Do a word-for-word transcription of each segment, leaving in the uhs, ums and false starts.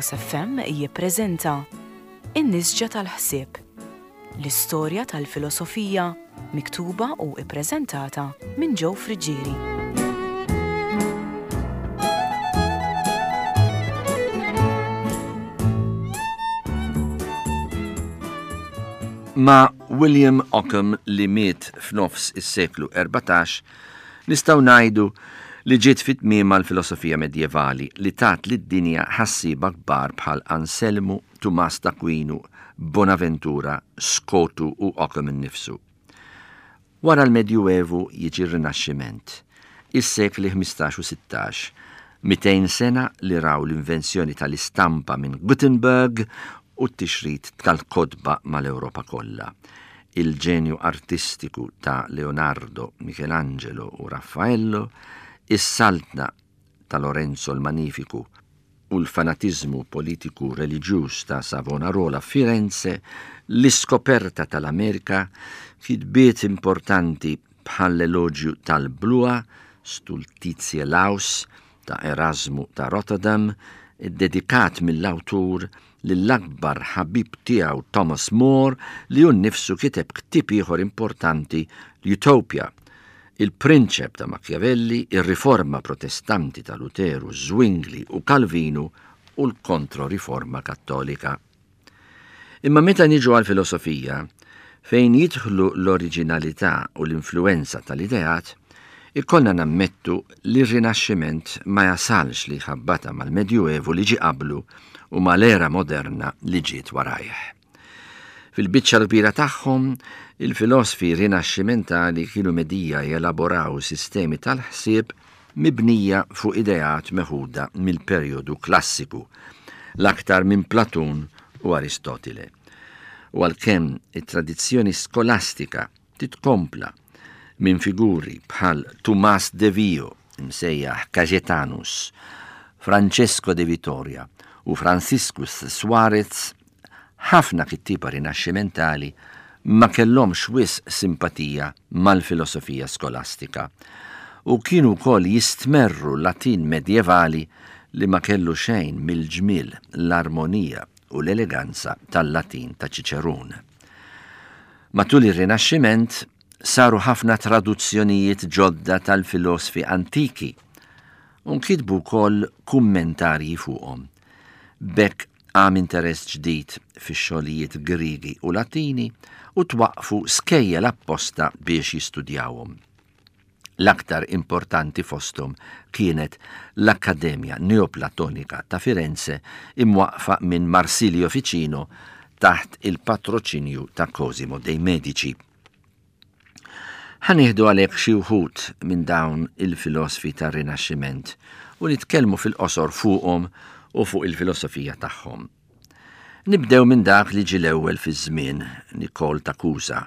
Veritas F M jippreżenta In-Nisġa tal-Ħsieb, l-istorja tal-filosofija miktuba u ippreżentata minn Joe Friggieri. Ma' William Ockham, li miet f'nofs is-seklu erbatax, nistgħu ngħidu li ġiet fit-tmiem l-filosofija medjevali li tat lid-dinja ħassiba kbar bħal Anselmu, Tumas d'Aquinu, Bonaventura, Skotu u Ockham innifsu. Wara l-Medjuevu jiġi r-Rinaxximent, is-sekli ħmistax u sittax, mitejn sena li raw l-invenzjoni tal-istampa minn Gutenberg u t-tixrid tal-kotba mal-Ewropa kollha. Il-ġenju artistiku ta' Leonardo, Michelangelo u Raffaello, is-saltna ta' Lorenzo l-Magnifiku u l-fanatizmu politiku reliġjuż ta' Savonarola Firenze, l-iskoperta tal-Amerika, kitbiet importanti bħall-eloġju tal-Bluha, Stultitiae Laus, ta' Erasmu ta' Rotterdam, dedikat mill-awtur lill-akbar ħabib tiegħu Thomas More, li hu nnifsu kiteb ktieb ieħor importanti, l-Utopia, il-Prinċep ta' Machiavelli, ir-Riforma Protestanti ta' Luteru, Zwingli u Calvinu u l-Kontroriforma Kattolika. Imma meta niġu għal-filosofija, fejn jidħlu l-oriġinalità u l-influenza tal-ideat, ikollna nammettu li r-Rinaxximent ma jasalx li ħabbata mal-Medjuevu li ġi qablu u mal-era moderna li ġiet warajh. Fil-biċċa l-kbira tagħhom, il-filosfi rinaxximentali kienu medija jelaboraw sistemi tal-ħsieb mibnija fuq ideat meħuda mill-perjodu klassiku, l-aktar minn Platun u Aristotile. U għalkemm it-tradizzjoni skolastika titkompla minn figuri bħal Tumas de Vio, msejjaħ Cajetanus, Francesco de Vittoria u Franciscus Suarez, ħafna kittiba rinaxximentali ma kellhomx wisq simpatija mal-filosofija skolastika u kienu wkoll jistmerru Latin medjevali li ma kellu xejn mill-ġmiel, l-armonija u l-eleganza tal-Latin ta' Ċiċerun. Matul ir-Rinaxximent saru ħafna traduzzjonijiet ġodda tal-filosfi antiki u nkitbu wkoll kummentarji fuqhom. B'hekk qam interess ġdid fix-xogħlijiet Griegi u Latini u twaqfu skejjel apposta biex jistudjawhom. L-aktar importanti fosthom kienet l-Akkademja Neoplatonika ta' Firenze imwaqfa minn Marsilio Ficino taħt il-patroċinju ta' Cosimo dei Medici. Ħa nieħdu għalhekk xi wħud minn dawn il-filosfi tar-Rinaxximent u nitkellmu fil-qosor fuqhom u fuq il-filosofija tagħhom. Nibdew minn dak li ġie l-ewwel fiż-żmien, Nikol ta' Kusa,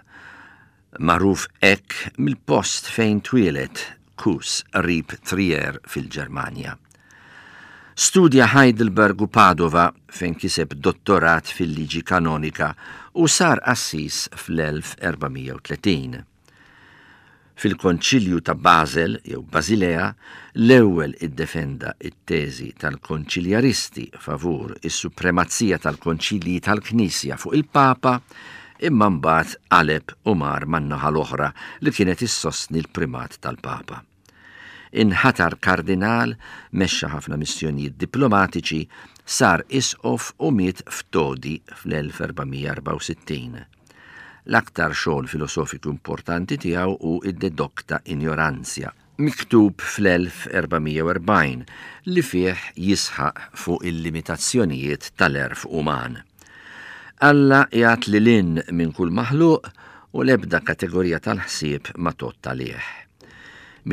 magħruf hekk mill-post fejn twieled, Kus, qrib Trier fil-Ġermanja. Studja Heidelberg u Padova fejn kiseb dottorat fil-liġi kanonika u sar qassis fl-elf erba' mija u tletin. Fil-Konċilju ta' Basel jew Basilea, l-ewwel iddefenda it-teżi tal-konċiljaristi favur is-supremazija tal-konċilji tal-Knisja fuq il-Papa, imma mbagħad qaleb u mar man-naħa l-oħra li kienet issostni l-primat tal-Papa. Inħatar kardinal, mexxa ħafna missjonijiet diplomatiċi, sar isqof u miet f'Todi fl-elf erba' mija erbgħa u sittin. L-aktar xogħol filosofiku importanti tiegħu hu id-De Docta Ignorantia, miktub fl-elf erba' mija u erbgħin, li fih jisħaq fuq il-limitazzjonijiet tal-għerf uman. Alla jgħat lil hinn minn kull maħluq u l-ebda kategorija tal-ħsieb ma tgħodd għalih.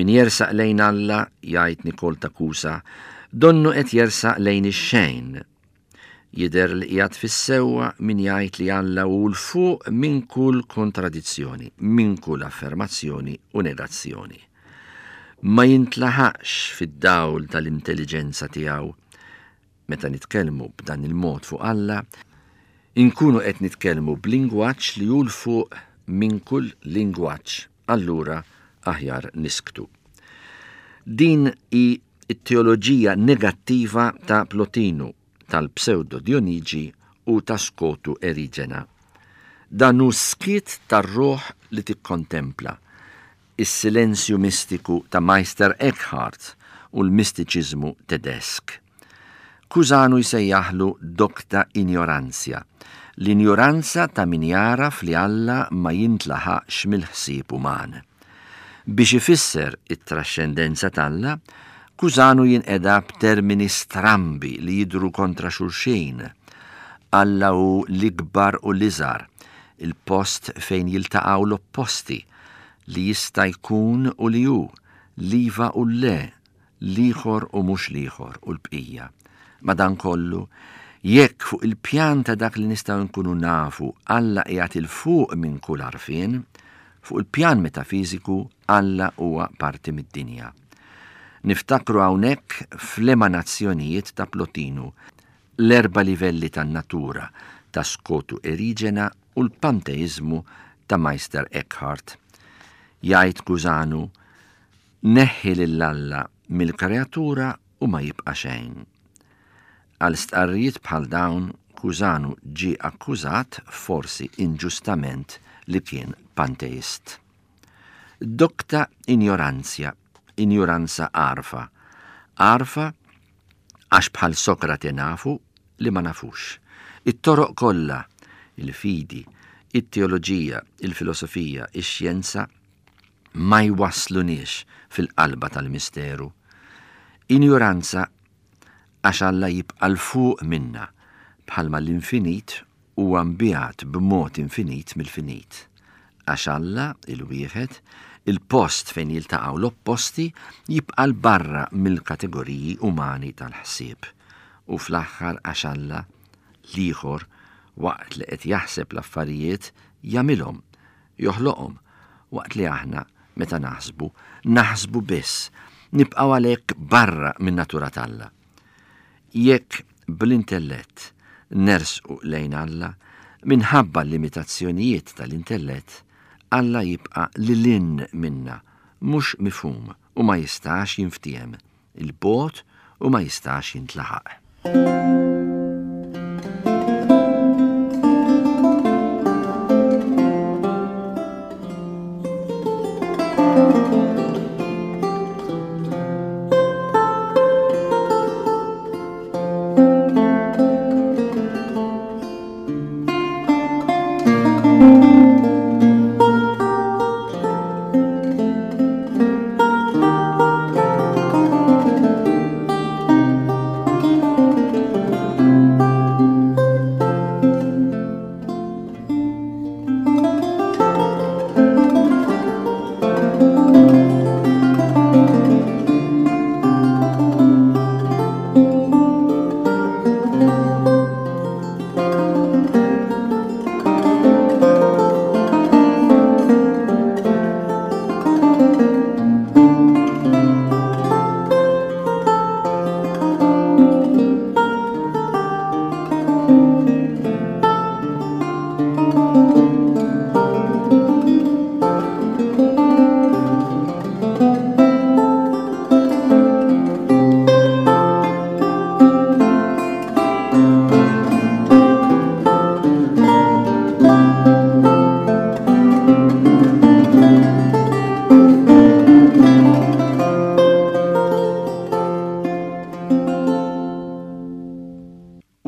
Min jersaq lejn Alla, jgħid Nikol ta' Kusa, donnu qed jersaq lejn ix-xejn. Jidher li qiegħed fis-sewwa min jgħid li Alla hu l fuq minn kull kontradizzjoni, minn kull affermazzjoni u negazzjoni. Ma jintlaħaqx fid-dawl tal-intelligenza tiegħu. Meta nitkellmu b'dan il-mod fuq Alla, inkunu qed nitkellmu b'lingwaġġ li hu l fuq minn kull lingwaġġ, allura aħjar nisktu. Din hi t-teoloġija negattiva ta' Plotinu tal-Pseudo Dionigi u ta' Skotu Erigena. Dan hu skiet tar-ruħ li tikkontempla, is-silenzju mistiku ta' Meister Eckhart u l-mistiċiżmu Tedesk. Cusano jsejjaħlu docta ignorantia, l-injoranza ta' min jagħraf li Alla ma jintlaħaqx mill-ħsieb uman. Biex ifisser it-trascendenza t'Alla, Cusano jinqeda b'termini strambi li jidhru kontra xulxin. Alla hu l-ikbar u l-iżgħar, il-post fejn jiltaqgħu l-opposti, li jista' jkun u li hu, l-iva u l-le, l-ieħor u mhux l-ieħor u l-bqija. Madankollu, jekk fuq il-pjan ta' dak li nistgħu nkunu nafu Alla qiegħed 'il fuq minn kull għarfien, fuq il-pjan metafiżiku Alla huwa parti mid-dinja. Niftakru hawnhekk fl-emanazzjonijiet ta' Plotinu, l-erba' livelli tan-natura ta' Skotu Erigena u l-panteizmu ta' Meister Eckhart. Jgħid Cusano, neħħi lil Alla mill-kreatura u ma jibqa' xejn. Għal stqarrijiet bħal dawn, Cusano ġie akkużat, forsi inġustament, li kien panteist. Docta ignorantia, ignoranza għarfa. Għarfa għax bħal Sokrate nafu li ma nafux. It-toroq kollha, il-fidi, it-teoloġija, il-filosofija, ix-xjenza, ma jwasslunix fil-qalba tal-misteru. Ignoranza għax Alla jibqa' 'l fuq minna, bħalma l-infinit huwa mbiegħed b'mod infinit mill-finit. Għax Alla, il-wieħed, il-post fejn jiltaqgħu l-opposti, jibqa' 'l barra mill-kategoriji umani tal-ħsieb. U fl-aħħar għax Alla, l-ieħor, waqt li qed jaħseb l-affarijiet, jagħmilhom, joħloqhom, waqt li aħna meta naħsbu, naħsbu biss, nibqgħu għalhekk barra min-natura t'Alla. Jekk bl-intellett nersqu lejn Alla, minħabba l-limitazzjonijiet tal-intellett, Alla jibqa' lil hinn minna, mhux mifhum u ma jistax jinftiehem, il-bogħod u ma jistax jintlaħaq.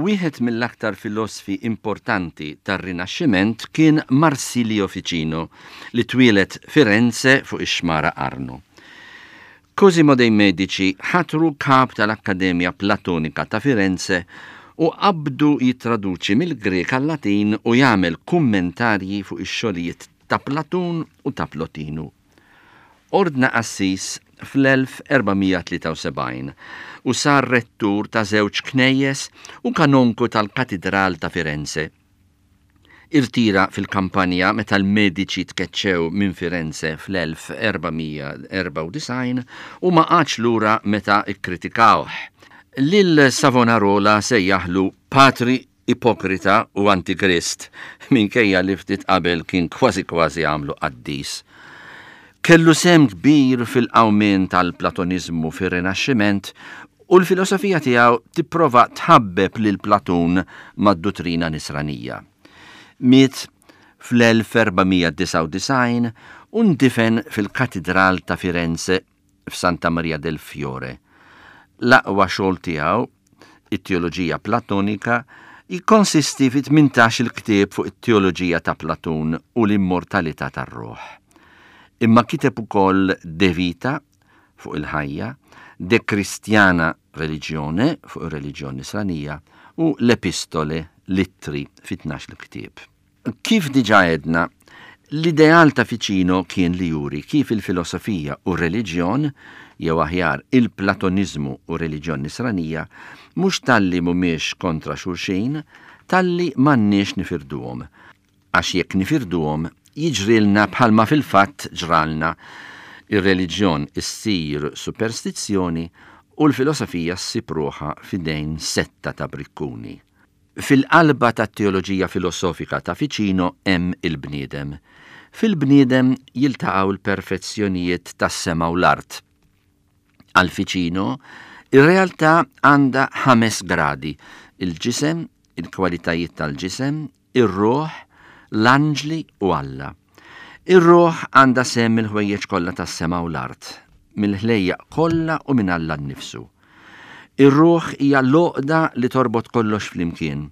Wieħed mill-aktar filosfi importanti tar-Rinaxximent kien Marsilio Ficino, li twieled Firenze fuq ix-xmara Arno. Cosimo dei Medici ħatru kap tal-Akkademja Platonika ta' Firenze u qabdu jittraduċi mill-Grek għal-Latin u jagħmel kummentarji fuq ix-xogħlijiet ta' Platun u ta' Plotinu. Ordna qassis fl-elf erba' mija tlieta u sebgħin u sar rettur ta' żewġ knejjes u kanonku tal-Katidral ta' Firenze. Irtira fil-kampanja meta l-Medici tkeċċew minn Firenze fl-elf erba' mija erba' u disgħin u ma qagħadx lura meta kkritikawh. Lil Savonarola sejjaħlu patri ipokrita u antikrist, minkejja li ftit qabel kien kważi kważi għamlu qaddis. Kellu sehem kbir fil-qawmien tal-Platonizmu fir-Rinaxximent U l-filosofija tiegħu tipprova tħabbeb lil Platun mad-duttrina nisranija. Miet fl-elf erba' mija disgħa u disgħin u ndifen fil-Katidral ta' Firenze f'Santa Maria del Fiore. L-aqwa xogħol tiegħu, it-teoloġija platonika, jikkonsisti fi tmintax il-ktieb fuq it-teoloġija ta' Platun u l-immortalità tar-ruħ. Imma kiteb ukoll De Vita fuq il-ħajja, De Christiana Religione fuq ir-reliġjon nisranija u l-Epistole Littri fi tnax il-ktieb. Kif diġà għedna, l-ideal ta' Ficino kien li juri kif il-filosofija u r-reliġjon, jew aħjar il-Platonizmu u r-reliġjon nisranija, mhux talli mhumiex kontra xulxin, talli m'għandniex nifirduhom. Għax jekk nifirduhom, jiġrilna bħalma fil-fatt ġralna. Ir-reliġjon issir superstizzjoni u l-filosofija ssib ruħha f'idejn setta ta' brikkuni. Fil-qalba tat-teoloġija filosofika ta' Ficino hemm il-bniedem. Fil-bniedem jiltaqgħu l-perfezzjonijiet tas-sema u l-art. Għal Ficino, ir-realtà għandha ħames gradi: il-ġisem, il-kwalitajiet tal-ġisem, ir-ruħ, l-anġli u Alla. Ir-ruħ għandha sehem mill-ħwejjeġ kollha tas-sema u l-art, mill-ħlejjaq kollha u minn Alla nnifsu. Ir-ruħ hija l-għoqda li torbot kollox flimkien,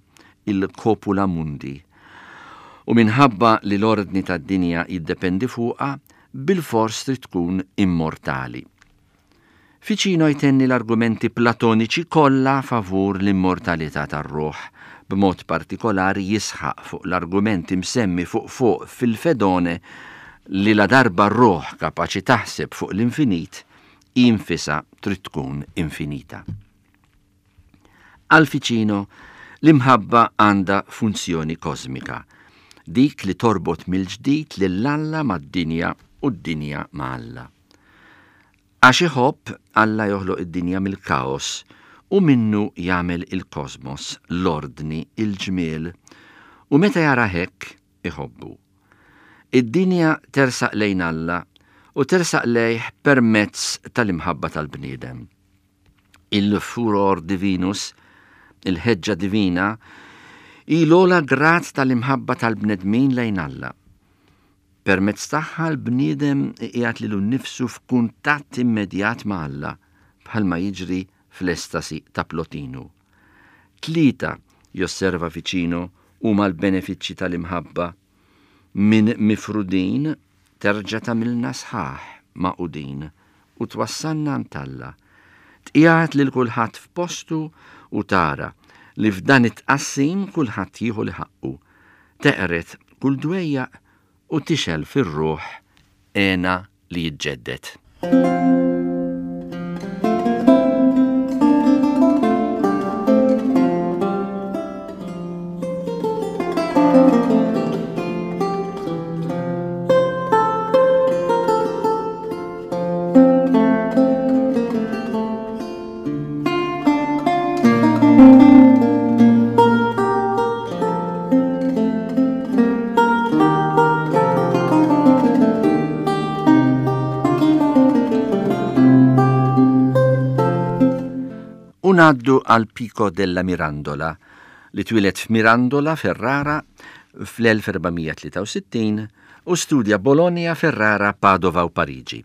il-copula mundi. U minħabba li l-ordni tad-dinja jiddependi fuqha, bil-fors trid tkun immortali. Ficino jtenni l-argumenti platoniċi kollha favur l-immortalità tar-ruħ, b'mod partikolari jisħaq fuq l-argumenti msemmi fuq fuq fil-Fedone li la darba r-ruħ kapaċi taħseb fuq l-infinit, infisa trid tkun infinita. Għal Ficino, l-imħabba għandha funzjoni kosmika, dik li torbot mill-ġdid lil Alla mad-dinja u d-dinja ma' Alla. Għax iħobb, Alla joħloq id-dinja mill-kaos u minnu jagħmel il-kosmos, l-ordni, il-ġmiel, u meta jara hekk iħobbu. Id-dinja tersaq lejn Alla u tersaq lejh permezz tal-imħabba tal-bniedem. Il-furor divinus, il-ħeġġa divina, hi l-ogħla grad tal-imħabba tal-bnedmin lejn Alla. Permezz tagħha l-bniedem qiegħed lilu nnifsu f'kuntatt immedjat ma' Alla, bħalma jiġri fl-estasi ta' Plotinu. Tlieta, josserva Ficino, huma l-benefiċċji tal-imħabba. Minn mifrudin terġa' tagħmilna sħaħ maqudin u twassalna għand Alla. Tqiegħed lil kulħadd f'postu u tara li f'dan it-tqassim kulħadd jieħu li ħaqqu. Teqret kull dwejjaq u tixel fir-ruħ għena li jiġġedded. Ngħaddu għal Pico della Mirandola, li twieled f'Mirandola, Ferrara, fl-elf erba' mija tlieta u sittin u studja Bologna, Ferrara, Padova u Pariġi.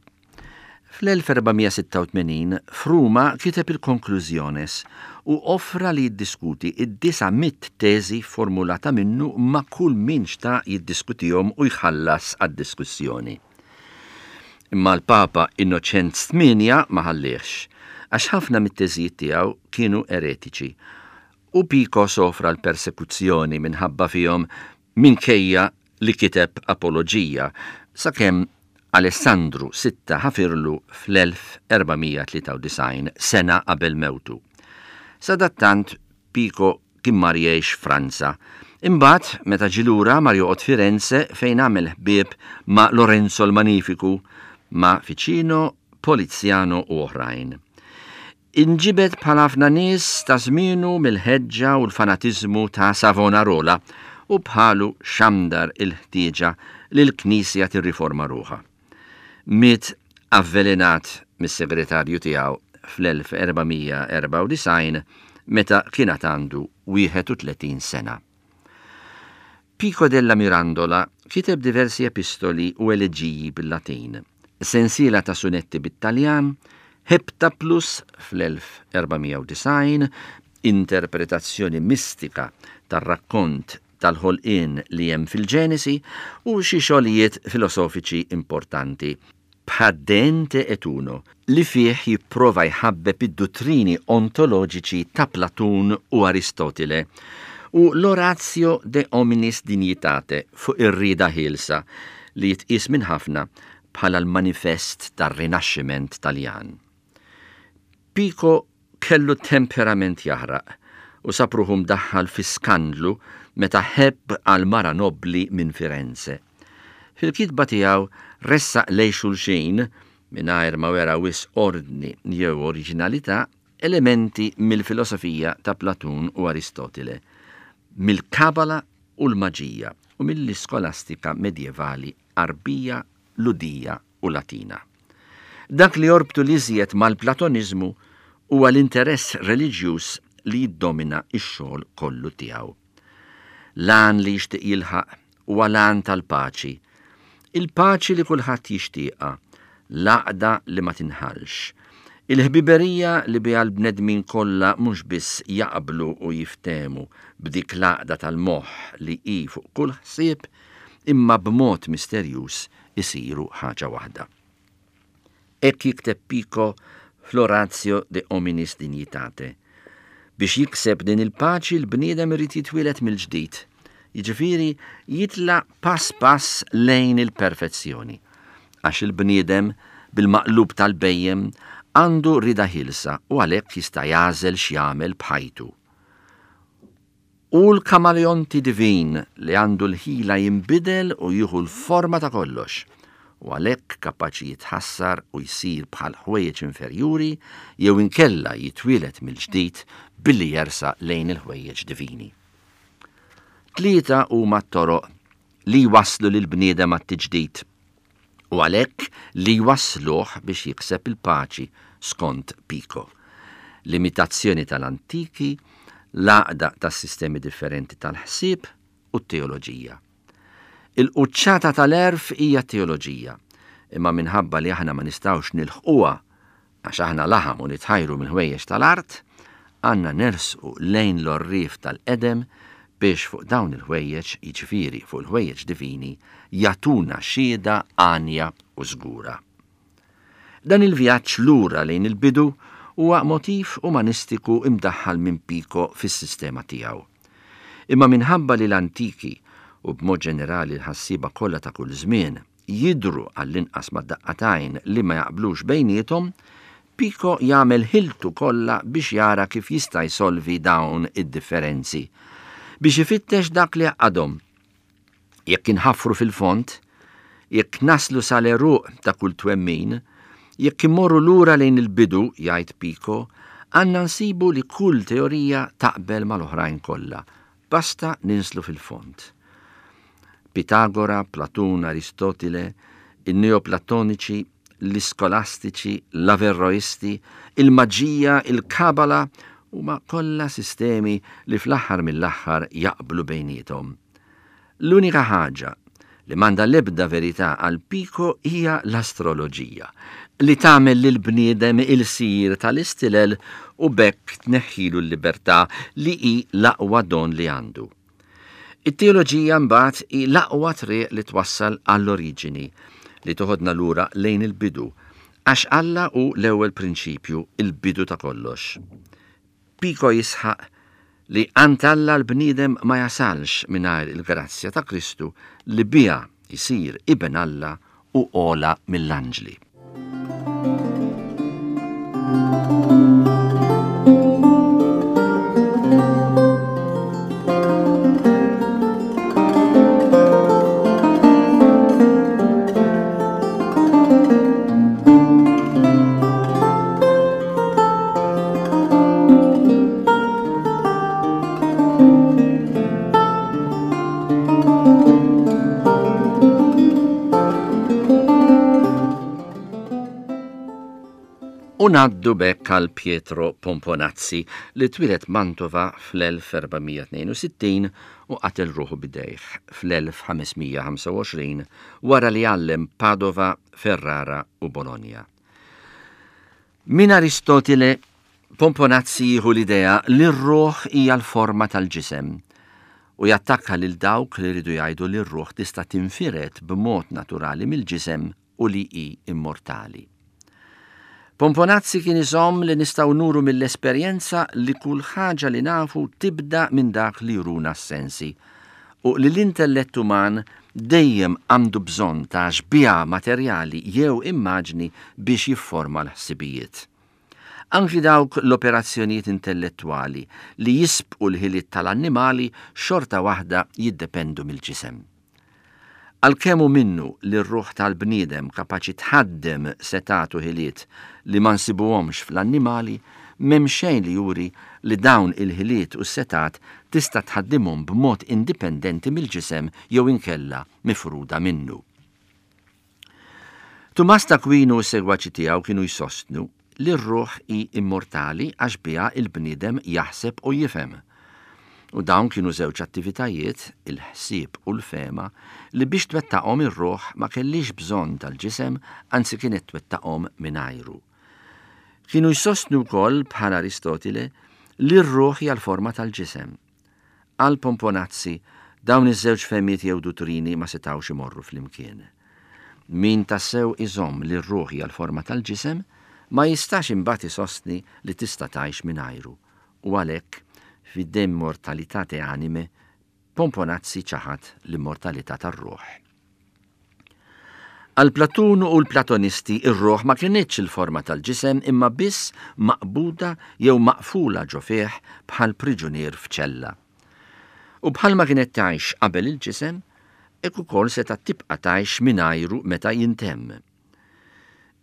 Fl-elf erba' mija sitta u tmenin, f'Ruma kiteb il-Conclusiones u offra li jiddiskuti id-disa' mitt teżi formulata minnu ma' kull min xtaq jiddiskutihom u jħallas għad-diskussjoni. Imma l-Papa Innoċenz tmienja ma ħallihx, għax ħafna mit-teżijiet tiegħu kienu eretiċi, u Pico sofra l-persekuzzjoni minħabba fihom minkejja li kiteb apoloġija, sakemm Alessandru sitta ħafirlu fl-elf erba' mija tlieta u disgħin sena qabel mewtu. Sadattant Pico kien mar jgħix Franza. Imbagħad meta ġie lura mar joqgħod Firenze fejn għamel ħbieb ma' Lorenzo l-Magnifiku, ma' Ficino, Poliziano u oħrajn. Inġibed bħal ħafna nies ta' żmienu mill-ħeġġa u l-fanatiżmu ta' Savonarola u bħalu xandar il-ħtieġa li l-Knisja tirriforma ruħha. Miet avvelenat mis-segretarju tiegħu fl-elf erba' mija erbgħa u disgħin meta kien għad għandu wieħed u tletin sena. Pico della Mirandola kiteb diversi epistoli u eleġiji bil-Latin, sensiela ta' sunetti bit-Taljan, Heptaplus fl-elf erba' mija u disgħin, interpretazzjoni mistika tar-rakkont tal-ħolqien li hemm fil-Ġenesi u xi xogħlijiet filosofiċi importanti, bħad De Ente et Uno, li fih jipprova jħabbeb id-dottrini ontoloġiċi ta' Platun u Aristotile, u l-Oratio de Hominis Dignitate fuq ir-rieda ħielsa li jitqies minn ħafna bħala l-manifest tar-Rinaxximent Taljan. Pico kellu temperament jaħraq u sab ruħu mdaħħal fi skandlu meta ħebb għal mara nobli minn Firenze. Fil-kitba tiegħu ressaq lej xulxin, mingħajr ma wera wis ordni jew oriġinalità, elementi mill-filosofija ta' Platun u Aristotile, mill-Kabala u l-maġija u mill-iskolastika medjevali Arbija, Ludija u Latina. Dak li jorbtu l-iżjed mal-Platonizmu huwa l-interess reliġjuż li jiddomina x-xogħol kollu tiegħu. L-għan li jixtieq jilħaq huwa l-għan tal-paċi, il-paċi li kulħadd jixtieqha, l-għaqda li ma tinħallx, il-ħbiberija li biha l-bnedmin kollha mhux biss jaqblu u jiftehmu b'dik l-għaqda tal-moħħ li hi fuq kull ħsieb, imma b'mod misterjuż isiru ħaġa waħda. Hekk jikteb Pico fl-Oratio de Hominis Dignitate. Biex jikseb din il-paċi l-bniedem irid jitwieled mill-ġdid, jiġifieri jitla pass pass lejn il-perfezzjoni, għax il-bniedem bil-maqlub tal-bejjem għandu rida ħilsa u għalhekk jista' jagħżel x'jagħmel b'ħajtu. U l-kamaleonti divin li għandu l-ħila jinbidel u jieħu l-forma ta' kollox, u għalhekk kapaċi jitħassar u jsir bħal ħwejjeġ inferjuri jew inkella jitwieled mill-ġdid billi jersa lejn il-ħwejjeġ divini. Tlieta huma t-toroq li jwasslu lil bniedem għat-tiġdid u għalhekk li jwassluh biex jikseb il-paċi skont Pico. L-imitazzjoni tal-antiki, l-għaqda tas-sistemi differenti tal-ħsieb u t-teoloġija. Il-quċċata tal-għerf hija t-teoloġija, imma minħabba li aħna ma nistgħux nilħquha għax aħna laħam u nitħajru mill-ħwejjeġ tal-art, għandna nersqu lejn l-għorrief tal-qedem biex fuq dawn il-ħwejjeġ, jiġifieri fuq il-ħwejjeġ divini, jagħtuna xhieda għanja u żgura. Dan il-vjaġġ lura lejn il-bidu huwa motiv umanistiku imdaħħal minn Pico fis-sistema tiegħu. Imma minħabba li l-antiki u b'mod ġenerali l-ħassieba kollha ta' kull żmien jidhru għall-inqas mad-daqqatajn li ma jaqblux bejniethom, Pico jagħmel ħiltu kollha biex jara kif jista' jsolvi dawn id-differenzi, biex ifittex dak li għaqadhom. Jekk inħaffru fil-fond, jekk naslu sal-għeruq ta' kull twemmin, jekk immorru lura lejn il-bidu, jgħid Pico, għandna nsibu li kull teorija taqbel mal-oħrajn kollha, basta ninslu fil-fond. Pitagora, Platun, Aristotile, il-Neoplatoniċi, l-Iskolastiċi, l-Averroisti, il-Maġija, il-Kabala, huma kollha sistemi li fl-aħħar mill-aħħar jaqblu bejniethom. L-unika ħaġa li m'għandha l-ebda verità għal Pico hija l-astroloġija, li tagħmel lil bniedem il-sir tal-istilel u b'hekk tneħħilu l-libertà li hi l-aqwa don li għandu. It-teoloġija mbagħad hi l-aqwa triq li twassal għall-oriġini, li toħodna lura lejn il-bidu, għax Alla hu l-ewwel prinċipju, il-bidu ta' kollox. Pico jisħaq li għand Alla l-bniedem ma jasalx mingħajr il-grazzja ta' Kristu li biha jsir iben Alla u ogħla mill-anġli. U U ngħaddu b'hekk għal Pietro Pomponazzi li twieled Mantova fl-elf erba' mija tnejn u sittin u qatel ruħu b'idejh fl-elf ħames mija ħamsa u għoxrin wara li għallem Padova, Ferrara u Bologna. Minn Aristotile, Pomponazzi jieħu l-idea li r-ruħ hija l-forma tal-ġisem u jattakka lil dawk li rridu jgħidu li r-ruħ tista' tinfired b'mod naturali mill-ġisem u li hi immortali. Pomponazzi kien iżomm li nistgħu nuru mill-esperjenza li kull ħaġa li nafu tibda minn dak li juruna s-sensi u li l-intellett uman dejjem għandu bżonn ta' xbieha materjali jew immaġni biex jifforma l-ħsibijiet. Anki dawk l-operazzjonijiet intellettwali li jisbqu l-ħiliet tal-annimali xorta waħda jiddependu mill-ġisem. Għalkemm hu minnu li r-ruħ tal-bniedem kapaċi tħaddem setatu ħiliet li ma nsibuhomx fl-annimali, m'hemm xejn li juri li dawn il-ħiliet u s-setat tista' tħaddimhom b'mod indipendenti mill-ġisem jew inkella mifruda minnu. Tumas t'Akwinu u s-segwaċi tiegħu kienu jsostnu li r-ruħ hi immortali għax biha il-bniedem jaħseb u jifhem. U dawn kienu żewġ attivitajiet, il-ħsieb u l-fehma, li biex twettaqhom ir-ruħ ma kellix bżonn tal-ġisem, anzi kienet twettaqhom mingħajru. Kienu jsostnu wkoll bħal Aristotile li r-ruħ hija l-forma tal-ġisem. Għal Pomponazzi, dawn iż-żewġ fehmiet jew duttrini ma setgħux imorru flimkien. Min tassew iżomm li r-ruħ hija l-forma tal-ġisem, ma jistax imbagħad isostni li tista' tgħix mingħajru, u għalhekk fid-De Immortalitate Animae, Pomponazzi ċaħad l-immortalità tar-ruħ. Għal Platun u l-Platonisti ir-ruħ ma kinitx il-forma tal-ġisem imma biss maqbuda jew maqfula ġo fih bħal priġunier f'ċella. U bħalma kienet tgħix qabel il-ġisem, hekk ukoll seta' tibqa' tgħix mingħajru meta jintemm.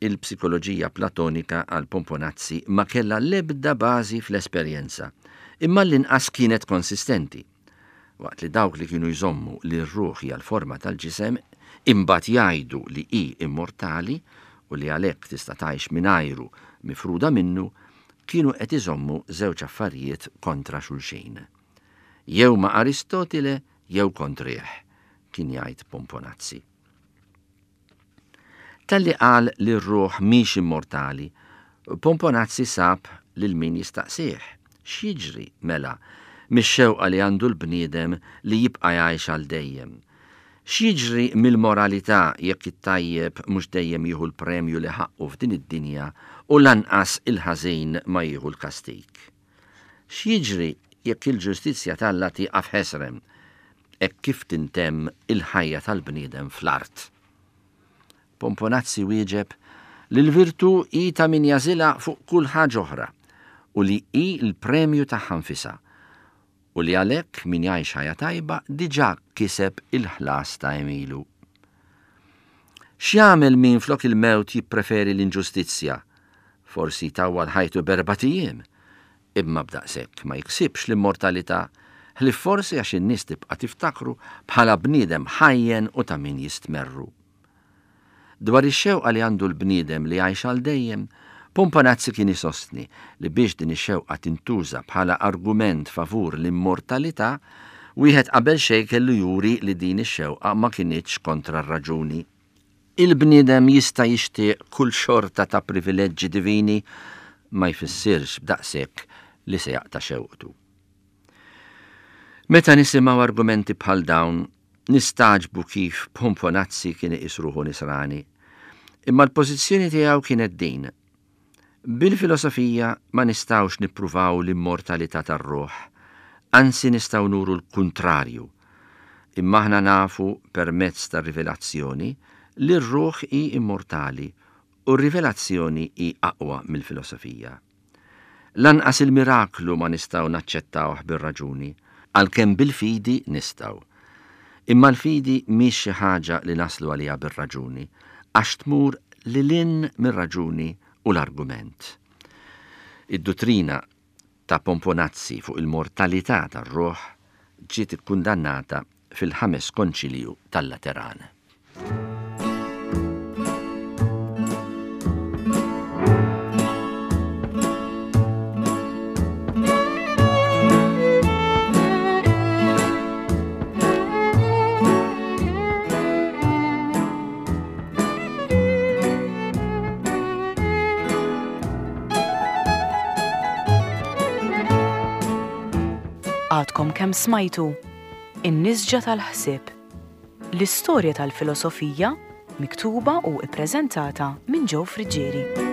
Il-psikoloġija platonika għal Pomponazzi ma kellha l-ebda bażi fl-esperjenza, imma l-inqas kienet konsistenti. Waqt li dawk li kienu jżommu li r-ruħ hija l-forma tal-ġisem, imbagħad jgħidu li hi immortali u li għalhekk tista' tgħix mingħajru mifruda minnu, kienu qed iżommu żewġ affarijiet kontra xulxin. Jew ma' Aristotile jew kontrih, kien jgħid Pomponazzi. Talli qal li r-ruħ mhix immortali, Pomponazzi sab lil min jistaqsih. X'jiġri mela mix-xewqa li għandu l-bniedem li jibqa' jgħix għal dejjem? X'jiġri mill-moralità jekk it-tajjeb mhux dejjem jieħu l-premju li ħaqqu f'din id-dinja u lanqas il-ħażin ma jieħu l-kastig? X'jiġri jekk il-ġustizzja t'Alla tieqaf ħesrem hekk kif tintemm il-ħajja tal-bniedem fl-art? Pomponazzi wieġeb li l-virtù hi ta' min jażilha fuq kull ħaġa oħra u li hi l-premju tagħha nfisha u li għalhekk min jgħix ħajja tajba diġà kiseb il-ħlas ta' għemilu. X'jagħmel min flok il-mewt jippreferi l-inġustizzja? Forsi tawwal ħajtu b'erbat ijiem, imma b'daqshekk ma jiksibx l-immortalità, ħlief forsi għax in-nies tibqa' tiftakru bħala bniedem ħajjen u ta' min jistmerru. Dwar ix-xewqa li għandu l-bniedem li jgħix għal dejjem, Pomponazzi kien isostni li biex din ix-xewqa tintuża bħala argument favur l-immortalità, wieħed qabel xejn kellu juri li din ix-xewqa ma kinitx kontra r-raġuni. Il-bniedem jista' jixtieq kull xorta ta' privileġġi divini, ma jfissirx b'daqshekk li se jaqta' xewqtu. Meta nisimgħu argumenti bħal dawn, nistagħġbu kif Pomponazzi kien iqis ruħu nisrani. Imma l-pożizzjoni tiegħu kienet din. Bil-filosofija ma nistgħux nippruvaw l-immortalità tar-ruħ, anzi nistgħu nuru l-kuntrarju. Imma aħna nafu permezz tar-rivelazzjoni li r-ruħ hi immortali u r-rivelazzjoni hi aqwa mill-filosofija. Lanqas il-miraklu ma nistgħu naċċettawh bir-raġuni, għalkemm bil-fidi nistgħu. Imma l-fidi mhix xi ħaġa li naslu għaliha bir-raġuni, għax tmur lil hinn mir-raġuni u l-argument. Id-duttrina ta' Pomponazzi fuq il-mortalità tar-ruħ ġiet ikkundannata fil-ħames konċilju tal-Lateran. Għadkom kemm smajtu In-Nisġa tal-Ħsieb, l-istorja tal-filosofija miktuba u ippreżentata minn Joe Friggieri.